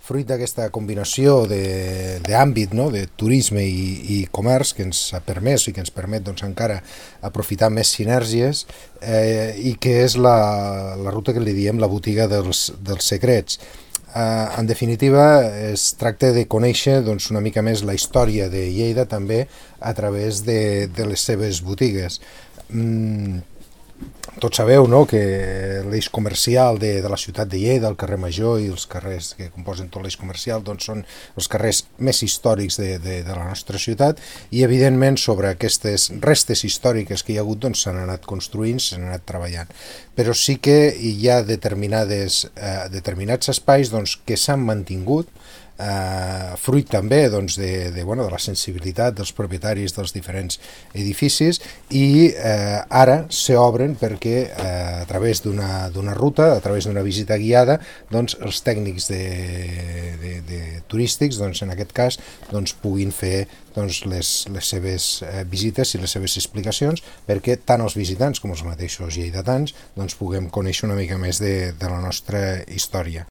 fruit d'aquesta combinació d'àmbit, no? De turisme i comerç que ens ha permès i que ens permet doncs, encara aprofitar més sinergies i que és la ruta que li diem la botiga dels secrets. En definitiva, es tracta de conèixer doncs, una mica més la història de Lleida també a través de les seves botigues. Tots sabeu, no?, que l'eix comercial de la ciutat de Lleida, el carrer Major i els carrers que composen tot l'eix comercial doncs són els carrers més històrics de la nostra ciutat i evidentment sobre aquestes restes històriques que hi ha hagut doncs s'han anat construint, s'han anat treballant. Però sí que hi ha determinats espais doncs, que s'han mantingut fruit també doncs, de la sensibilitat dels propietaris dels diferents edificis i ara s'obren perquè a través d'una ruta, a través d'una visita guiada, doncs, els tècnics turístics, doncs, en aquest cas, doncs, puguin fer doncs, les seves visites i les seves explicacions perquè tant els visitants com els mateixos lleidatans doncs, puguem conèixer una mica més de la nostra història.